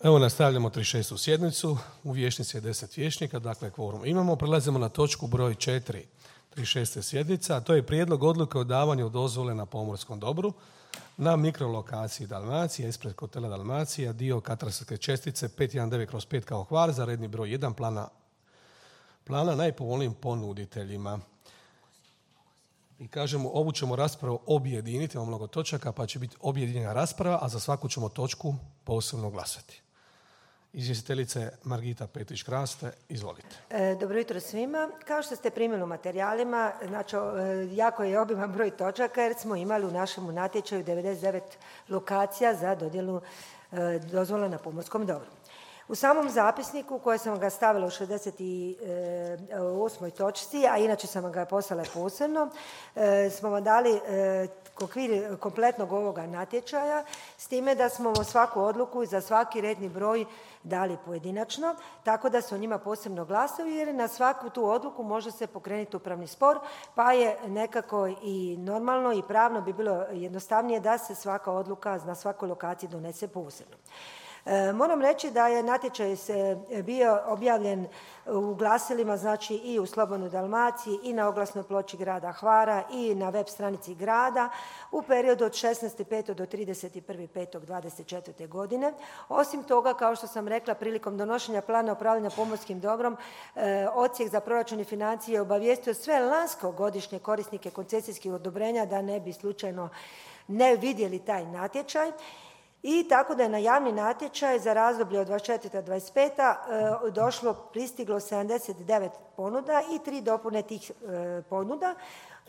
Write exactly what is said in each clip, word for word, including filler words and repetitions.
Evo nastavljamo trideset šestu sjednicu, u vijećnici je deset vijećnika, dakle kvorum imamo. Prelazimo na točku broj četiri trideset šeste sjednice, a to je prijedlog odluke o davanju dozvole na pomorskom dobru na mikrolokaciji Dalmacija, ispred hotela Dalmacija, dio katastarske čestice pet jedan devet kroz pet kao Hvar za redni broj jedan plana, plana najpovoljnijim ponuditeljima. I kažemo, ovu ćemo raspravu objediniti, imamo mnogo točaka, pa će biti objedinjena rasprava, a za svaku ćemo točku posebno glasati. Izvjestiteljica je Margita Petrić-Kraste, izvolite. E, dobro jutro svima. Kao što ste primili u materijalima, znači, jako je obiman broj točaka jer smo imali u našem natječaju devedeset devet lokacija za dodjelu e, dozvola na pomorskom dobru. U samom zapisniku koje sam ga stavila u šezdeset osmoj točci, a inače sam ga poslala posebno, e, smo vam dali e, okvir kompletnog ovoga natječaja, s time da smo svaku odluku i za svaki redni broj dali pojedinačno, tako da su o njima posebno glasovi, jer na svaku tu odluku može se pokrenuti upravni spor, pa je nekako i normalno i pravno bi bilo jednostavnije da se svaka odluka na svakoj lokaciji donese posebno. E, moram reći da je natječaj se bio objavljen u glasilima, znači i u Slobodnoj Dalmaciji i na oglasnoj ploči grada Hvara i na web stranici grada u periodu od šesnaesti petog do trideset prvi petog dvadeset četvrte. godine. Osim toga, kao što sam rekla, prilikom donošenja plana upravljanja pomorskim dobrom, e, Odsjek za proračun i financije je obavijestio sve lanskogodišnje korisnike koncesijskih odobrenja da ne bi slučajno ne vidjeli taj natječaj. I tako da je na javni natječaj za razdoblje od dvadeset četvrte do dvadeset pete. E, došlo, pristiglo sedamdeset devet ponuda i tri dopune tih e, ponuda.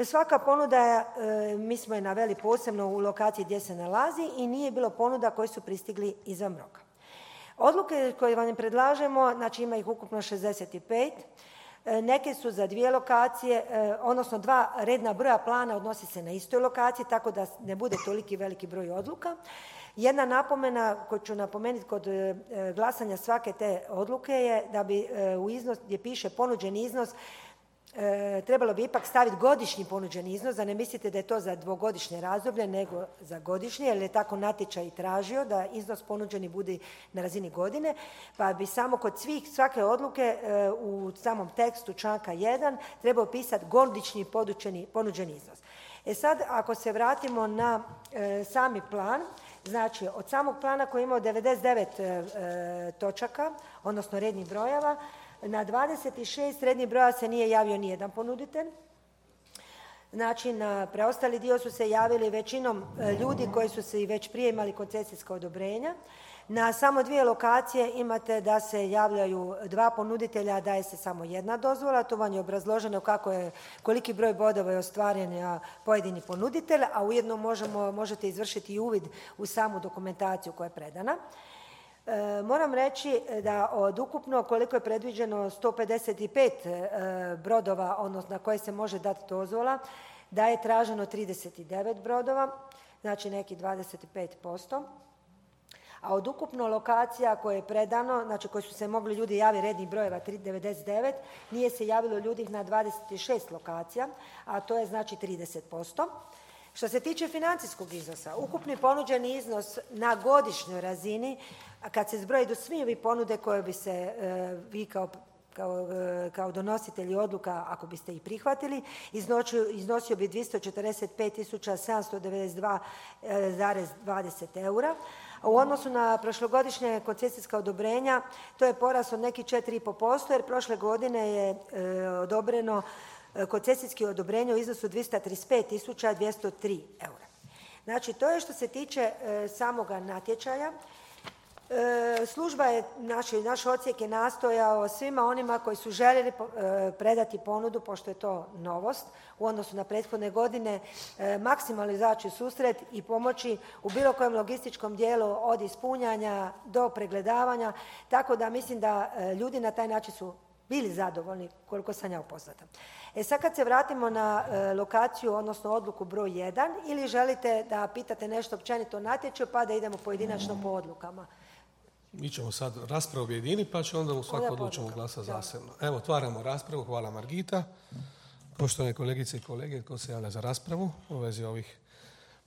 Svaka ponuda je, e, mi smo je naveli posebno u lokaciji gdje se nalazi i nije bilo ponuda koji su pristigli izvan roka. Odluke koje vam predlažemo, znači ima ih ukupno šezdeset pet. Neke su za dvije lokacije, odnosno dva redna broja plana odnosi se na istoj lokaciji, tako da ne bude toliki veliki broj odluka. Jedna napomena koju ću napomenuti kod glasanja svake te odluke je da bi u iznos gdje piše ponuđeni iznos trebalo bi ipak staviti godišnji ponuđeni iznos, da ne mislite da je to za dvogodišnje razdoblje, nego za godišnje, jer je tako natječaj tražio da iznos ponuđeni bude na razini godine, pa bi samo kod svih, svake odluke u samom tekstu članka jedan trebao pisati godišnji ponuđeni iznos. E sad, ako se vratimo na e, sami plan, znači od samog plana koji je imao devedeset devet e, točaka, odnosno rednih brojeva, na dvadeset šest rednih broja se nije javio nijedan ponuditelj. Znači, na preostali dio su se javili većinom ljudi koji su se i već prije imali koncesijska odobrenja. Na samo dvije lokacije imate da se javljaju dva ponuditelja, daje se samo jedna dozvola. To vam je obrazloženo kako je, koliki broj bodova je ostvaren na pojedini ponuditelj, a ujedno možemo, možete izvršiti i uvid u samu dokumentaciju koja je predana. E, moram reći da od ukupno koliko je predviđeno sto pedeset pet e, brodova, odnosno na koje se može dati dozvola, da je traženo trideset devet brodova, znači neki dvadeset pet posto. A od ukupno lokacija koje je predano, znači koji su se mogli ljudi javiti rednih brojeva devedeset devet, nije se javilo ljudi na dvadeset šest lokacija, a to je znači trideset posto. Što se tiče financijskog iznosa, ukupni ponuđeni iznos na godišnjoj razini, a kad se zbroji do svih ovih ponude koje bi se e, vi kao Kao, kao donositelji odluka, ako biste ih prihvatili, iznosio, iznosio bi dvjesto četrdeset pet tisuća sedamsto devedeset dva zarez dvadeset eura. A u odnosu na prošlogodišnje koncesijska odobrenja, to je porast od nekih četiri i pol posto, jer prošle godine je e, odobreno e, koncesijski odobrenje u iznosu dvjesto trideset pet tisuća dvjesto tri eura. Znači, to je što se tiče e, samoga natječaja. E, služba je, naš, naš odsjek je nastojao svima onima koji su željeli e, predati ponudu, pošto je to novost u odnosu na prethodne godine, e, maksimalno izaći u susret i pomoći u bilo kojem logističkom dijelu od ispunjanja do pregledavanja, tako da mislim da e, ljudi na taj način su bili zadovoljni, koliko sam ja upoznata. E sad kad se vratimo na e, lokaciju, odnosno odluku broj jedan, ili želite da pitate nešto općenito o natječaju, pa da idemo pojedinačno po odlukama. Mi ćemo sad raspravu objediniti, pa će onda u svaku odlučimo glasa zasebno. Evo, otvaramo raspravu. Hvala Margita. Poštovane kolegice i kolege, tko se javlja za raspravu u vezi ovih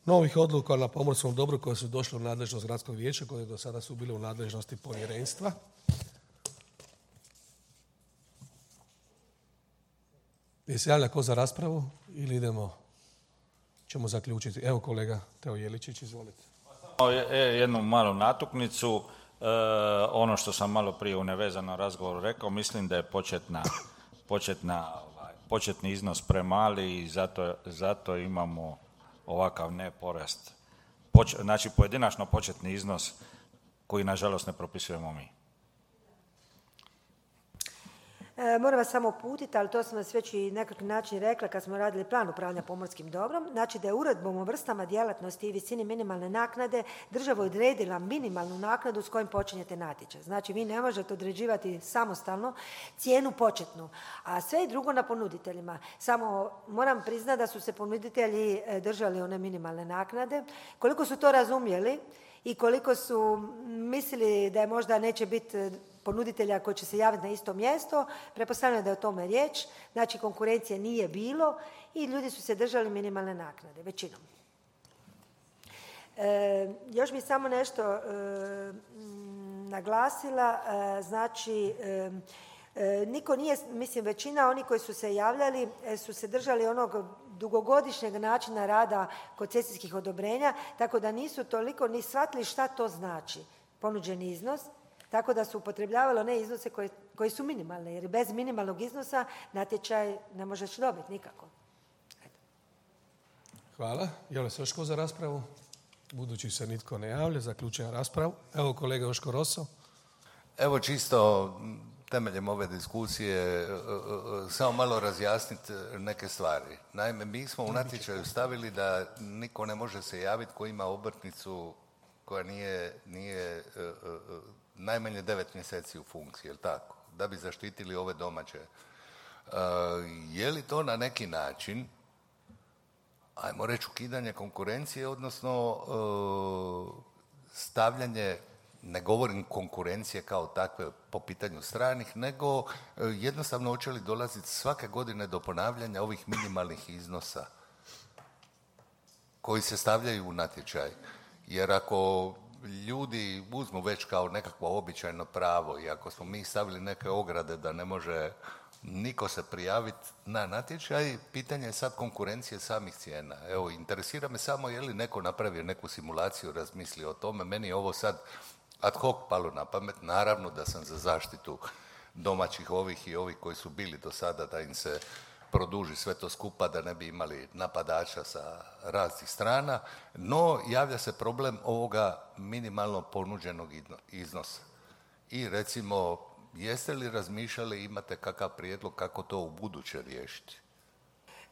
novih odluka na pomorskom dobru koje su došle u nadležnost gradskog vijeća, koje do sada su bile u nadležnosti povjerenstva. Je se javlja ko za raspravu ili idemo, ćemo zaključiti? Evo kolega Teo Jeličić, izvolite. Jednu malu natuknicu. E, ono što sam malo prije u nevezanom razgovoru rekao, mislim da je početna, početna, ovaj, početni iznos premali i zato, zato imamo ovakav neporast. Poč, znači pojedinačno početni iznos koji nažalost ne propisujemo mi. E, moram vas samo uputiti, ali to sam vas već i nekakvi način rekla kad smo radili plan upravljanja pomorskim dobrom. Znači da je uredbom o vrstama djelatnosti i visini minimalne naknade država odredila minimalnu naknadu s kojim počinjete natječaj. Znači vi ne možete određivati samostalno cijenu početnu, a sve i drugo na ponuditeljima. Samo moram priznati da su se ponuditelji držali one minimalne naknade. Koliko su to razumjeli i koliko su mislili da je možda neće biti ponuditelja koji će se javiti na isto mjesto, pretpostavljam da je o tome riječ, znači konkurencije nije bilo i ljudi su se držali minimalne naknade, većinom. E, još bi samo nešto e, naglasila, e, znači e, e, niko nije, mislim većina oni koji su se javljali e, su se držali onog dugogodišnjeg načina rada koncesijskih odobrenja, tako da nisu toliko ni shvatili šta to znači ponuđeni iznos, tako da su upotrebljavali one iznose koji, koji su minimalne, jer bez minimalnog iznosa natječaj ne možeš dobiti nikako. Eto. Hvala. Javlja se još ko za raspravu? Budući se nitko ne javlja, zaključujem raspravu. Evo kolega Joško Roso. Evo čisto temeljem ove diskusije samo malo razjasniti neke stvari. Naime, mi smo u natječaju stavili da niko ne može se javiti ko ima obrtnicu koja nije, nije najmanje devet mjeseci u funkciji, jel tako? Da bi zaštitili ove domaće. Uh, je li to na neki način, ajmo reći, ukidanje konkurencije, odnosno uh, stavljanje, ne govorim konkurencije kao takve po pitanju stranih, nego uh, jednostavno hoće li dolaziti svake godine do ponavljanja ovih minimalnih iznosa koji se stavljaju u natječaj? Jer ako ljudi uzmu već kao nekakvo običajno pravo i ako smo mi stavili neke ograde da ne može niko se prijaviti na natječaj, pitanje je sad konkurencije samih cijena. Evo, interesira me samo je li neko napravio neku simulaciju, razmislio o tome. Meni je ovo sad ad hoc palo na pamet. Naravno da sam za zaštitu domaćih ovih i ovih koji su bili do sada, da im se produži sve to skupa, da ne bi imali napadača sa raznih strana, no javlja se problem ovoga minimalno ponuđenog iznosa. I recimo, jeste li razmišljali, imate kakav prijedlog kako to u buduće riješiti?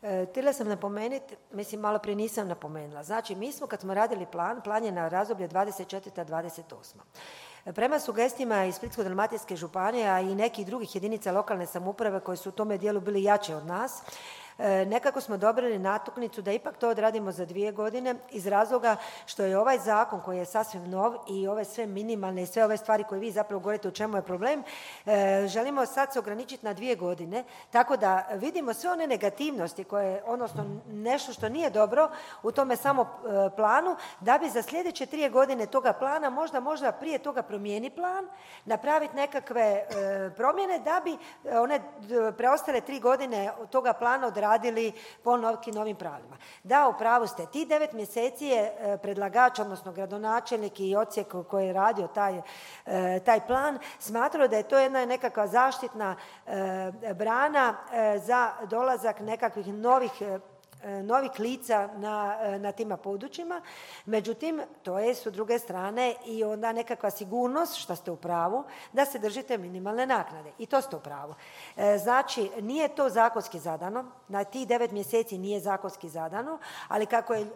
E, htjela sam napomenuti, mislim malo prije nisam napomenula, znači mi smo kad smo radili plan, plan je na razdoblje dvadeset četvrta do dvadeset osma Prema sugestijama iz Splitsko-dalmatinske županije, a i nekih drugih jedinica lokalne samouprave koji su u tome dijelu bili jače od nas, nekako smo dobili natuknicu da ipak to odradimo za dvije godine iz razloga što je ovaj zakon koji je sasvim nov i ove sve minimalne i sve ove stvari koje vi zapravo govorite u čemu je problem, želimo sad se ograničiti na dvije godine, tako da vidimo sve one negativnosti koje, odnosno nešto što nije dobro u tome samo planu, da bi za sljedeće tri godine toga plana možda, možda prije toga promijeni plan, napraviti nekakve promjene da bi one preostale tri godine toga plana odradili radili po novim, novim pravilima. Da, u pravu ste. Ti devet mjeseci je predlagač, odnosno gradonačelnik i odsjek koji je radio taj, taj plan, smatrao da je to jedna nekakva zaštitna brana za dolazak nekakvih novih novih lica na, na tima područjima. Međutim, to je s druge strane i onda nekakva sigurnost, što ste u pravu, da se držite minimalne naknade. I to ste u pravu. E, znači, nije to zakonski zadano, na tih devet mjeseci nije zakonski zadano, ali kako je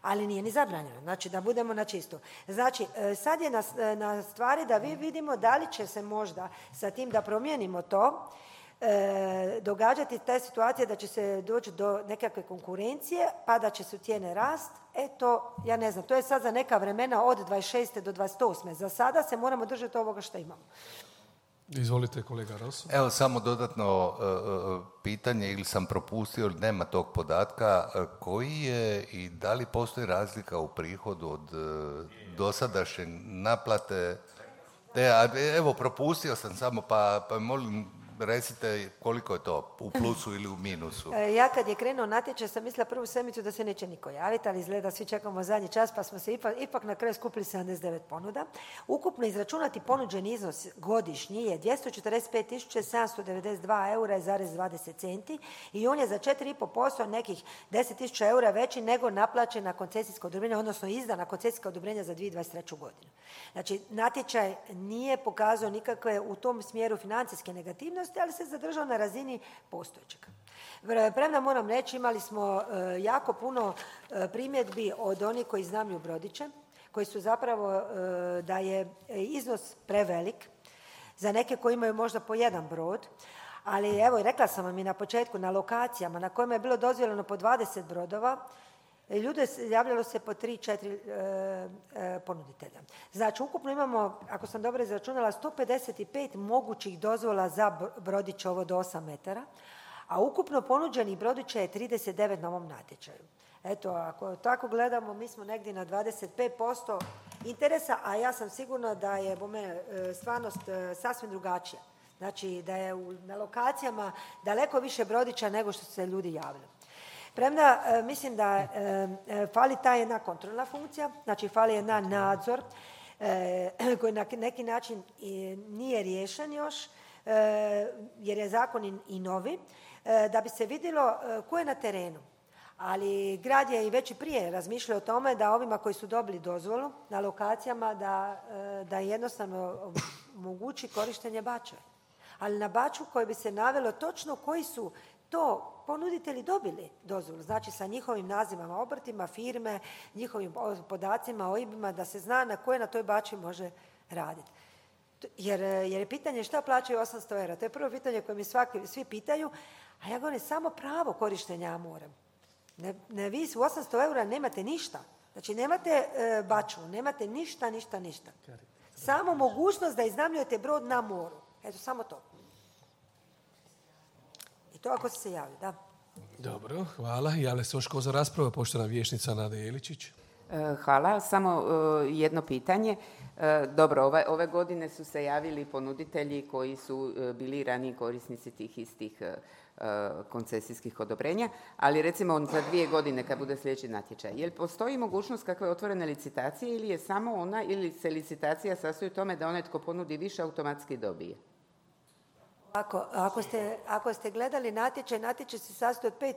ali nije ni zabranjeno, znači da budemo na čistu. Znači, sad je na, na stvari da vi vidimo da li će se možda sa tim da promijenimo to, E, događati te situacije da će se doći do nekakve konkurencije pa da će su cijene rast, e to, ja ne znam, to je sad za neka vremena od dvadeset šeste do dvadeset osme Za sada se moramo držati ovoga što imamo. Izvolite, kolega Rosso. Evo samo dodatno uh, pitanje, ili sam propustio, ili nema tog podatka, uh, koji je i da li postoji razlika u prihodu od uh, dosadašnje naplate? Te, a, evo, propustio sam samo, pa, pa molim, recite koliko je to, u plusu ili u minusu? Ja kad je krenuo natječaj sam mislila prvu sedmicu da se neće niko javiti, ali izgleda svi čekamo zadnji čas pa smo se ipak, ipak na kraju skupili sedamdeset devet ponuda. Ukupno izračunati ponuđeni iznos godišnji je dvjesto četrdeset pet tisuća sedamsto devedeset dva eura zarez dvadeset centi i on je za četiri zarez pet posto nekih deset tisuća eura veći nego naplaćena koncesijska odobrenja, odnosno izdana koncesijska odobrenja za dvije tisuće dvadeset treću godinu. Znači, natječaj nije pokazao nikakve u tom smjeru financijske negativnosti, ali se zadržao na razini postojećeg. Premda moram reći, imali smo e, jako puno e, primjedbi od onih koji iznajmljuju brodiće, koji su zapravo e, da je iznos prevelik za neke koji imaju možda po jedan brod, ali evo, rekla sam vam i na početku, na lokacijama na kojima je bilo dozvoljeno po dvadeset brodova, ljude javljalo se po tri, četiri e, e, ponuditelja. Znači, ukupno imamo, ako sam dobro izračunala, sto pedeset pet mogućih dozvola za brodiće ovo do osam metara, a ukupno ponuđenih brodića je trideset devet na ovom natječaju. Eto, ako tako gledamo, mi smo negdje na dvadeset pet posto interesa, a ja sam sigurna da je po mene stvarnost sasvim drugačija. Znači, da je u, na lokacijama daleko više brodića nego što su se ljudi javili. Premda e, mislim da e, e, fali ta jedna kontrolna funkcija, znači fali jedna nadzor e, koji na neki način i nije riješen još, e, jer je zakon i, i novi, e, da bi se vidjelo e, ko je na terenu. Ali grad je i već i prije razmišljao o tome da ovima koji su dobili dozvolu na lokacijama da, e, da jednostavno omogući korištenje bačve. Ali na baču koje bi se navelo točno koji su to ponuditelji dobili dozvolu, znači sa njihovim nazivama obrtima, firme, njihovim podacima, O I B-ima, da se zna na koje na toj bači može raditi. Jer, jer je pitanje šta plaćaju osamsto eura. To je prvo pitanje koje mi svaki, svi pitaju, a ja govorim samo pravo korištenja morem. Ne, ne, vi u osamsto eura nemate ništa. Znači nemate e, baču, nemate ništa, ništa, ništa. Samo mogućnost da iznajmljujete brod na moru. Eto, samo to. To ako se javi, da. Dobro, hvala. Javlja se još ko za raspravu, poštovana vijećnica Nada Jeličić. Hvala. Samo jedno pitanje. Dobro, ove, ove godine su se javili ponuditelji koji su bili raniji korisnici tih istih koncesijskih odobrenja, ali recimo za dvije godine kad bude sljedeći natječaj. Jel postoji mogućnost kakve otvorene licitacije ili je samo ona, ili se licitacija sastoji u tome da onaj tko ponudi više automatski dobije? Ako, ako, ste, ako ste gledali natječaj, natječaj se sastoji od pet,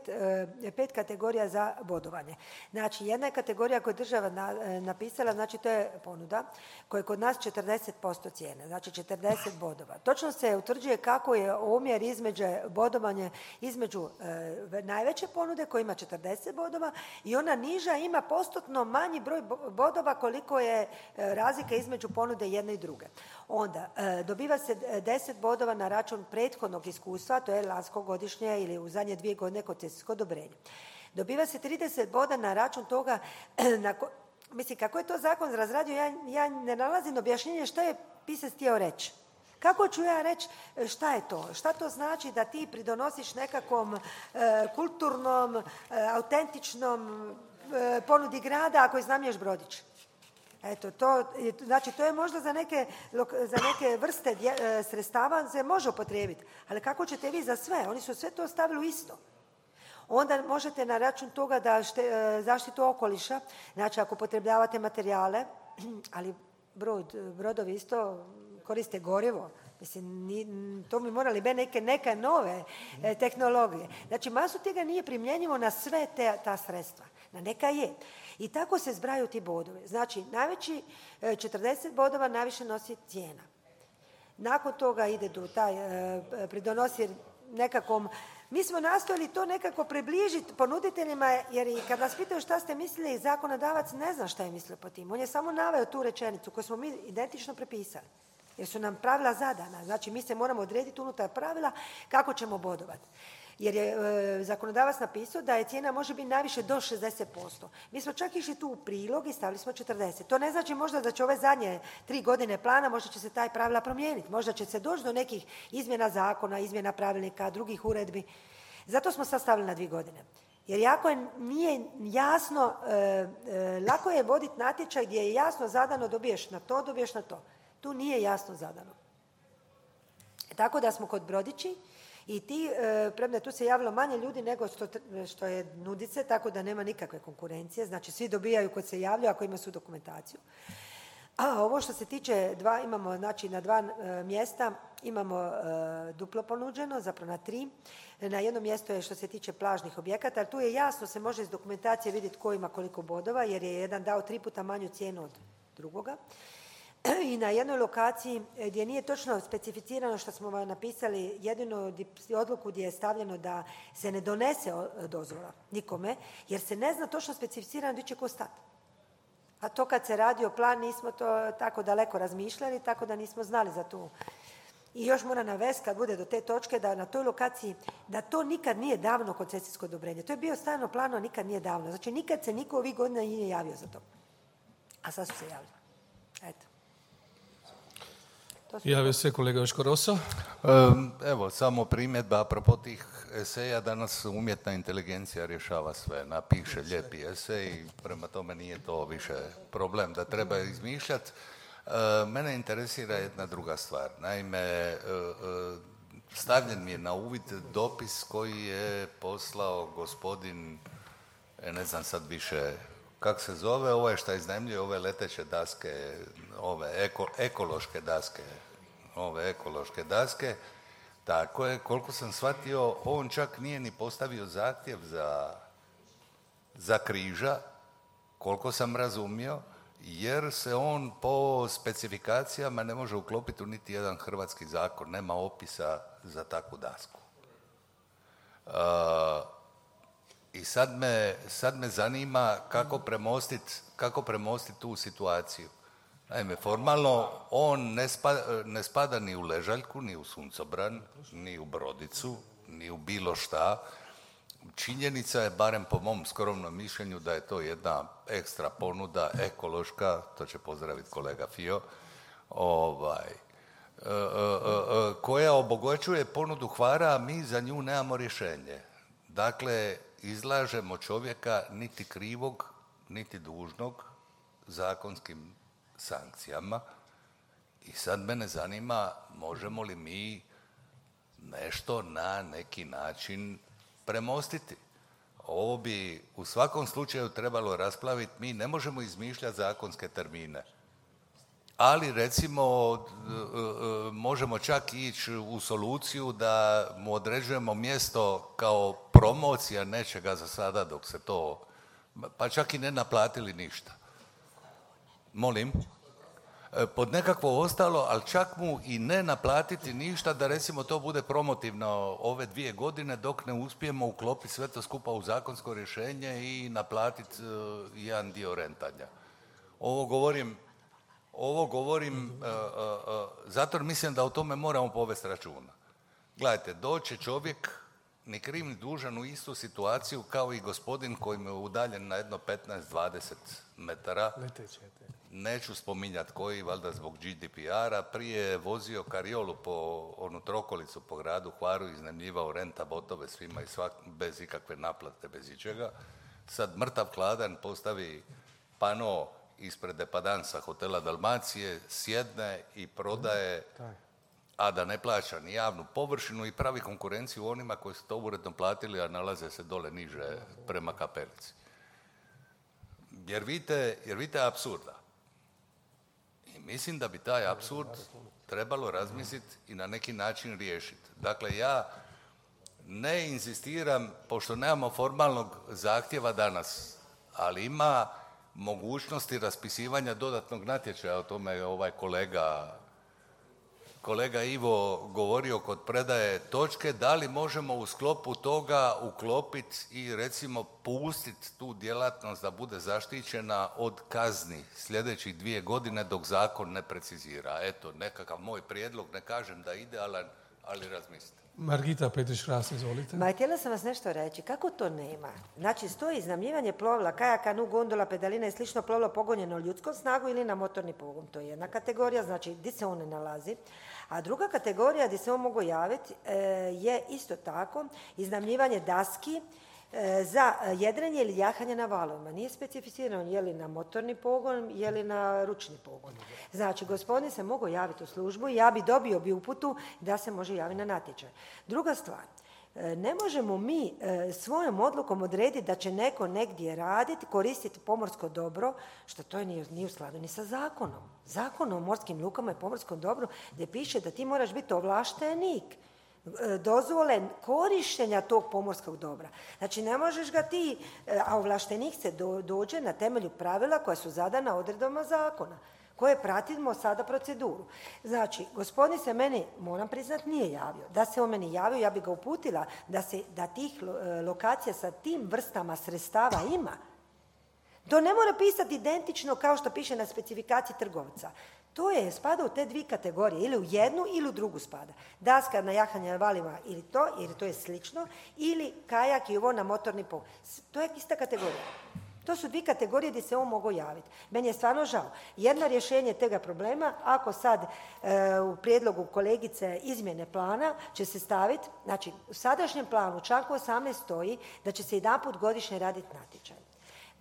pet kategorija za bodovanje. Znači, jedna je kategorija koju je država na, napisala, znači to je ponuda, koja je kod nas četrdeset posto cijene, znači četrdeset bodova. Točno se utvrđuje kako je omjer između bodovanje između e, najveće ponude koja ima četrdeset bodova i ona niža ima postotno manji broj bodova koliko je e, razlika između ponude jedne i druge. Onda, e, dobiva se deset bodova na račun prethodnog iskustva, to je lanskogodišnje ili u zadnje dvije godine koncesijsko odobrenje. Dobiva se trideset boda na račun toga, na ko, mislim, kako je to zakon razradio, ja, ja ne nalazim objašnjenje što je pisac htio reći. Kako ću ja reći šta je to? Šta to znači da ti pridonosiš nekakvom e, kulturnom, e, autentičnom e, ponudi grada ako iznajmljuješ brodić? Eto, to, znači to je možda za neke, za neke vrste dje, sredstava se može upotrijebiti, ali kako ćete vi za sve? Oni su sve to stavili u isto. Onda možete na račun toga da šte, zaštitu okoliša, znači ako upotrebljavate materijale, ali brod, brodovi isto koriste gorivo, mislim, ni, to bi morali biti neke, neke nove e, tehnologije. Znači, masu tega nije primjenjivo na sve te, ta sredstva, na neka je. I tako se zbraju ti bodovi. Znači, najveći e, četrdeset bodova najviše nosi cijena. Nakon toga ide do taj, e, pridonosi nekakvom. Mi smo nastojali to nekako približiti ponuditeljima, jer i kad nas pitaju šta ste mislili, zakonodavac ne zna šta je mislio po tim. On je samo naveo tu rečenicu koju smo mi identično prepisali. Jer su nam pravila zadana. Znači, mi se moramo odrediti unutar pravila kako ćemo bodovati. jer je e, zakonodavac napisao da je cijena može biti najviše do šezdeset posto. Mi smo čak išli tu u prilog i stavili smo četrdeset. To ne znači možda da će ove zadnje tri godine plana, možda će se taj pravila promijeniti, možda će se doći do nekih izmjena zakona, izmjena pravilnika, drugih uredbi. Zato smo sad stavili na dvije godine. Jer jako je, nije jasno, e, e, lako je voditi natječaj gdje je jasno zadano dobiješ na to, dobiješ na to. Tu nije jasno zadano. Tako da smo kod brodići i ti, e, premda tu se javilo manje ljudi nego što, što je nudice, tako da nema nikakve konkurencije. Znači svi dobijaju kod se javljaju ako ima su dokumentaciju. A ovo što se tiče, dva, imamo znači na dva e, mjesta, imamo e, duplo ponuđeno, zapravo na tri. Na jednom mjestu je što se tiče plažnih objekata, ali tu je jasno, se može iz dokumentacije vidjeti ko ima koliko bodova, jer je jedan dao tri puta manju cijenu od drugoga. I na jednoj lokaciji gdje nije točno specificirano što smo vam napisali, jedinu odluku gdje je stavljeno da se ne donese dozvola nikome, jer se ne zna točno specificirano gdje će ko stati. A to kad se radio plan nismo to tako daleko razmišljali, tako da nismo znali za tu. I još mora navesti kad bude do te točke da na toj lokaciji, da to nikad nije davno koncesijsko odobrenje. To je bio stajno plano, a nikad nije davno. Znači nikad se niko ovih godina nije javio za to. A sad su se javili. Eto. Javio se kolega Joško Roso. Evo, samo primjedba apropo tih eseja. Danas umjetna inteligencija rješava sve. Napiše lijepi esej, prema tome nije to više problem da treba izmišljati. Mene interesira jedna druga stvar. Naime, stavljen mi je na uvid dopis koji je poslao gospodin, ne znam sad više kako se zove, ovo je šta iznajmljuje ove leteće daske, ove eko, ekološke daske, ove ekološke daske. Tako je, koliko sam shvatio, on čak nije ni postavio zahtjev za, za križa, koliko sam razumio, jer se on po specifikacijama ne može uklopiti u niti jedan hrvatski zakon, nema opisa za takvu dasku. Uh, I sad me, sad me zanima kako premostiti kako premostit tu situaciju. Naime, formalno on ne spada, ne spada ni u Ležaljku, ni u Suncobran, ni u Brodicu, ni u bilo šta. Činjenica je, barem po mom skromnom mišljenju, da je to jedna ekstra ponuda, ekološka, to će pozdraviti kolega Fio, ovaj, e, e, e, koja obogaćuje ponudu Hvara, a mi za nju nemamo rješenje. Dakle, izlažemo čovjeka niti krivog, niti dužnog zakonskim sankcijama i sad mene zanima možemo li mi nešto na neki način premostiti. Ovo bi u svakom slučaju trebalo rasplaviti. Mi ne možemo izmišljati zakonske termine. Ali recimo možemo čak ići u soluciju da mu određujemo mjesto kao promocija nečega za sada dok se to, pa čak i ne naplatili ništa. Molim? Pod nekakvo ostalo, ali čak mu i ne naplatiti ništa da recimo to bude promotivno ove dvije godine dok ne uspijemo uklopiti sve to skupa u zakonsko rješenje i naplatiti uh, jedan dio rentanja. Ovo govorim, ovo govorim uh, uh, uh, zato jer mislim da o tome moramo povesti računa. Gledajte, doće čovjek ni kriv ni dužan u istu situaciju kao i gospodin koji mu je udaljen na jedno petnaest dvadeset metara. Neću spominjati koji, valjda zbog G D P R-a, prije je vozio kariolu po onu trokolicu po gradu Hvaru, iznajmljivao renta botove svima i svak, bez ikakve naplate, bez ičega. Sad mrtav hladan postavi pano ispred depadansa hotela Dalmacije, sjedne i prodaje, a da ne plaća ni javnu površinu i pravi konkurenciju onima koji su to uredno platili, a nalaze se dole niže prema Kapelici. Jer vidite, jer vidite apsurda. I mislim da bi taj apsurd trebalo razmisliti i na neki način riješiti. Dakle, ja ne inzistiram, pošto nemamo formalnog zahtjeva danas, ali ima mogućnosti raspisivanja dodatnog natječaja, o tome je ovaj kolega, kolega Ivo govorio kod predaje točke, da li možemo u sklopu toga uklopiti i recimo pustiti tu djelatnost da bude zaštićena od kazni sljedećih dvije godine dok zakon ne precizira. Eto, nekakav moj prijedlog, ne kažem da je idealan, ali razmislite. Margita Petrić-Ras, izvolite. Ma, htjela sam vas nešto reći. Kako to nema? Znači, stoji iznajmljivanje plovila, kajaka, nu, gondola, pedalina i slično plovilo pogonjeno ljudskom snagu ili na motorni pogon. To je jedna kategorija, znači, gdje se on ne nalazi. A druga kategorija gdje se on mogu javiti e, je isto tako iznajmljivanje daski e, za jedrenje ili jahanje na valovima. Nije specificirano je li na motorni pogon, je li na ručni pogon. Znači, gospodin se mogu javiti u službu i ja bi dobio bi uputu da se može javiti na natječaj. Druga stvar, ne možemo mi svojom odlukom odrediti da će neko negdje raditi, koristiti pomorsko dobro, što to nije, nije u skladu ni sa zakonom. Zakon o morskim lukama i pomorskom dobru gdje piše da ti moraš biti ovlaštenik dozvole korištenja tog pomorskog dobra. Znači, ne možeš ga ti, a ovlaštenik se do, dođe na temelju pravila koja su zadana odredbama zakona, koje pratimo sada proceduru. Znači, gospodin se meni, moram priznati, nije javio. Da se on meni javio, ja bi ga uputila da, se, da tih lokacija sa tim vrstama sredstava ima. To ne mora pisati identično kao što piše na specifikaciji trgovca. To je, spada u te dvije kategorije, ili u jednu ili u drugu spada. Daska na jahanje na valima ili to, jer to je slično, ili kajak i ovo na motorni pogon. To je ista kategorija. To su dvije kategorije gdje se on mogu javiti. Meni je stvarno žao. Jedno rješenje tega problema, ako sad e, u prijedlogu kolegice izmjene plana će se staviti, znači u sadašnjem planu u članku osamnaest stoji da će se jedanput godišnje raditi natječaj.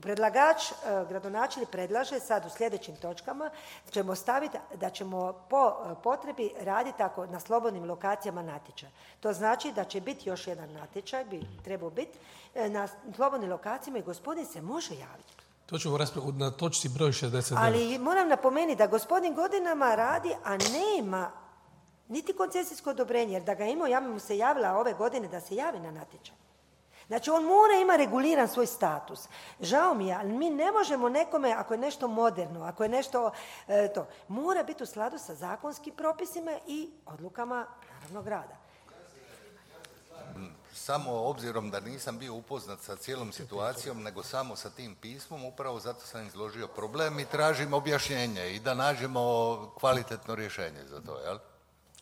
Predlagač, gradonačelnik predlaže sad u sljedećim točkama ćemo staviti da ćemo po potrebi raditi ako na slobodnim lokacijama natječaj. To znači da će biti još jedan natječaj, bi trebao biti, na slobodnim lokacijama i gospodin se može javiti. To ćemo raspraviti na točci broj šezdeset devet. Ali moram napomenuti da gospodin godinama radi, a nema niti koncesijsko odobrenje, jer da ga imao, ja bi mu se javila ove godine da se javi na natječaj. Znači, on mora ima reguliran svoj status. Žao mi je, ali mi ne možemo nekome, ako je nešto moderno, ako je nešto e, to, mora biti u skladu sa zakonskim propisima i odlukama, naravno, grada. Samo obzirom da nisam bio upoznat sa cijelom situacijom, nego samo sa tim pismom, upravo zato sam izložio problem i tražim objašnjenje i da nađemo kvalitetno rješenje za to, jel?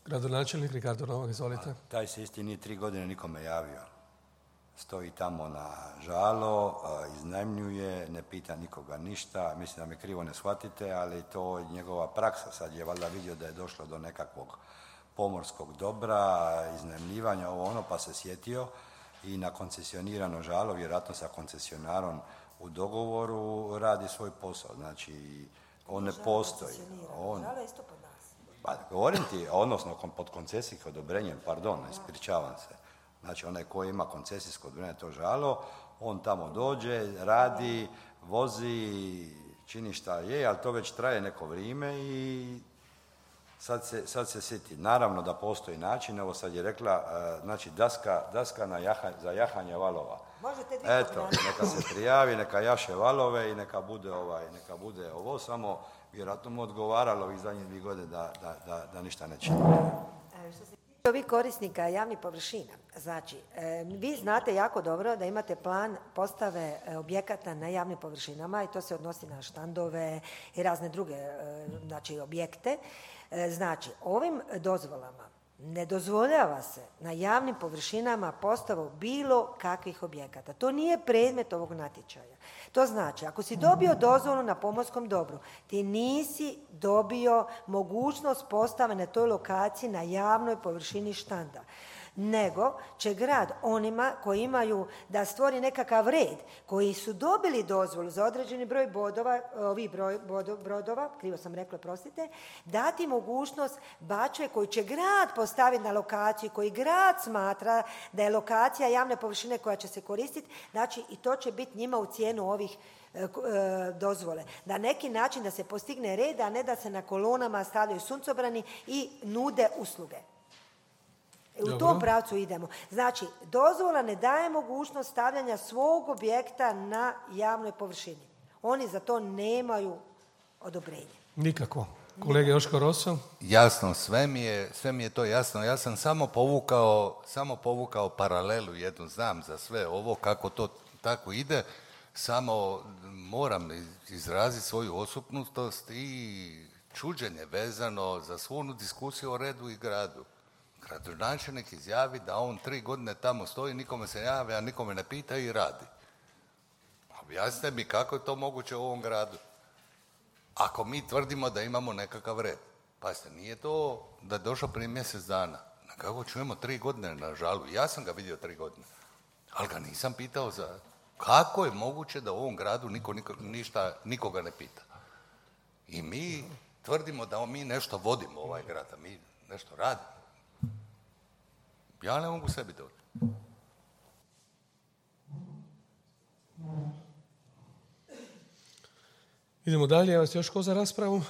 Gradonačelnik Ricardo Novak, izvolite. A, taj se isti nije tri godine nikome javio. Stoji tamo na žalo, iznajmljuje, ne pita nikoga ništa. Mislim da me krivo ne shvatite, ali to je njegova praksa. Sad je valjda vidio da je došlo do nekakvog pomorskog dobra, iznajmljivanja, ovo ono, pa se sjetio i na koncesionirano žalo, vjerojatno sa koncesionarom u dogovoru, radi svoj posao. Znači, on ne postoji. On, žalo je isto pod nas. Pa, govorim ti, odnosno pod koncesijskim odobrenjem, pardon, ispričavam se. Znači, onaj koji ima koncesijsko odobrenje to žalo, on tamo dođe, radi, vozi, čini šta je, ali to već traje neko vrijeme i sad se, sad se sjeti. Naravno da postoji način, evo sad je rekla, znači daska, daska na jaha, za jahanje valova. Možete Eto, neka se prijavi, neka jaše valove i neka bude, ovaj, neka bude ovo, samo vjerojatno mu odgovaralo ovih zadnjih dvije godine da, da, da, da ništa ne čini. Ovih korisnika javnih površina, znači, e, vi znate jako dobro da imate plan postave e, objekata na javnim površinama i to se odnosi na štandove i razne druge e, znači, objekte. E, znači, ovim dozvolama ne dozvoljava se na javnim površinama postavu bilo kakvih objekata. To nije predmet ovog natječaja. To znači, ako si dobio dozvolu na pomorskom dobru, ti nisi dobio mogućnost postave na toj lokaciji na javnoj površini štanda. Nego će grad onima koji imaju da stvori nekakav red, koji su dobili dozvolu za određeni broj bodova, ovih broj bodo, brodova, krivo sam rekla, prostite, dati mogućnost bačve koji će grad postaviti na lokaciju, koji grad smatra da je lokacija javne površine koja će se koristiti, znači i to će biti njima u cijenu ovih e, dozvole. Na neki način da se postigne red, a ne da se na kolonama stavljaju suncobrani i nude usluge. U Dobro. tom pravcu idemo. Znači, dozvola ne daje mogućnost stavljanja svog objekta na javnoj površini. Oni za to nemaju odobrenje. Nikako. Kolega Joško Roso? Jasno, sve mi je, sve mi je to jasno. Ja sam samo povukao, samo povukao paralelu jednu, znam za sve ovo, kako to tako ide, samo moram izraziti svoju osupnutost i čuđenje vezano za svu onu diskusiju o redu i gradu. gradonačelnik izjavi da on tri godine tamo stoji, nikome se javlja, nikome ne pita i radi. Objasnite mi kako je to moguće u ovom gradu. Ako mi tvrdimo da imamo nekakav red. Pazite, nije to da je došao prije mjesec dana. Kako čujemo tri godine na žalu. Ja sam ga vidio tri godine. Ali ga nisam pitao za... Kako je moguće da u ovom gradu niko, niko, ništa, nikoga ne pita? I mi tvrdimo da mi nešto vodimo ovaj grad, a mi nešto radimo. Ja ne mogu sebi doći. Idemo dalje, evo vas još ko za raspravu?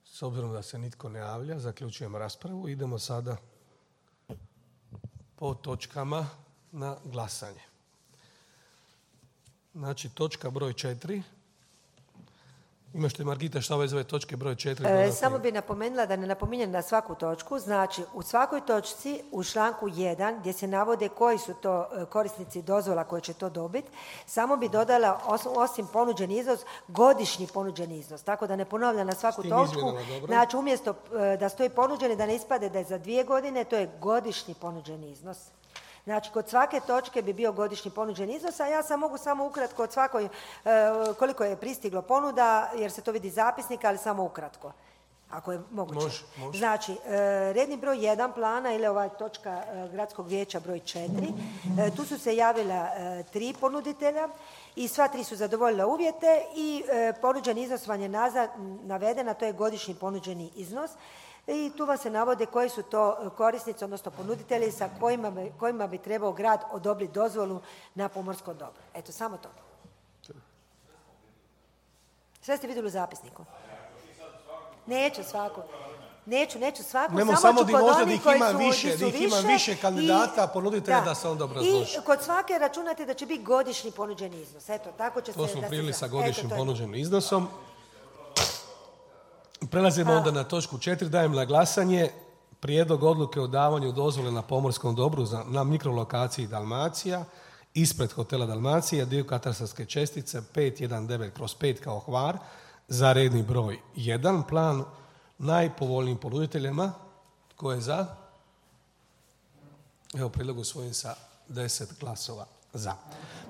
S obzirom da se nitko ne javlja, zaključujem raspravu. Idemo sada po točkama na glasanje. Znači, točka broj četiri. Imaš li, Margita, šta ove zove točke broj četiri? E, samo bi napomenula da ne napominjem na svaku točku. Znači, u svakoj točci u članku jedan, gdje se navode koji su to korisnici dozvola koji će to dobiti, samo bi dodala, osim ponuđeni iznos, godišnji ponuđeni iznos. Tako da ne ponavljam na svaku točku. Znači, umjesto da stoji ponuđeni, da ne ispade da je za dvije godine, to je godišnji ponuđeni iznos. Znači, kod svake točke bi bio godišnji ponuđeni iznos, a ja sam mogu samo ukratko od svakoj, e, koliko je pristiglo ponuda, jer se to vidi iz zapisnika, ali samo ukratko, ako je moguće. Može, može. Znači, e, redni broj jedan plana ili ova točka e, gradskog vijeća broj četiri, e, tu su se javila e, tri ponuditelja i sva tri su zadovoljila uvjete i e, ponuđeni iznos vam je nazad navedena, to je godišnji ponuđeni iznos. I tu vam se navode koji su to korisnici, odnosno ponuditelji sa kojima bi, kojima bi trebao grad odobriti dozvolu na pomorsko dobro. Eto, samo to. Sve ste vidjeli u zapisniku? Neću svako. Neću, neću svako. Nemo samo, samo ću di kod možda onih ih koji ima su, više, su ih ima više kandidata, ponuditelja da se onda obrazloži. I kod svake računate da će biti godišnji ponuđeni iznos. Eto, tako će To se... smo da prili se, sa godišnjim eto, ponuđenim iznosom. Prelazimo onda na točku četiri, dajem na glasanje prijedlog odluke o davanju dozvole na pomorskom dobru za, na mikrolokaciji Dalmacija, ispred hotela Dalmacija, dio katastarske čestice pet devetnaest kroz pet kao Hvar, za redni broj jedan, plan najpovoljnijim ponuditeljima. Tko je za? Evo, prijedlog usvojen sa deset glasova za.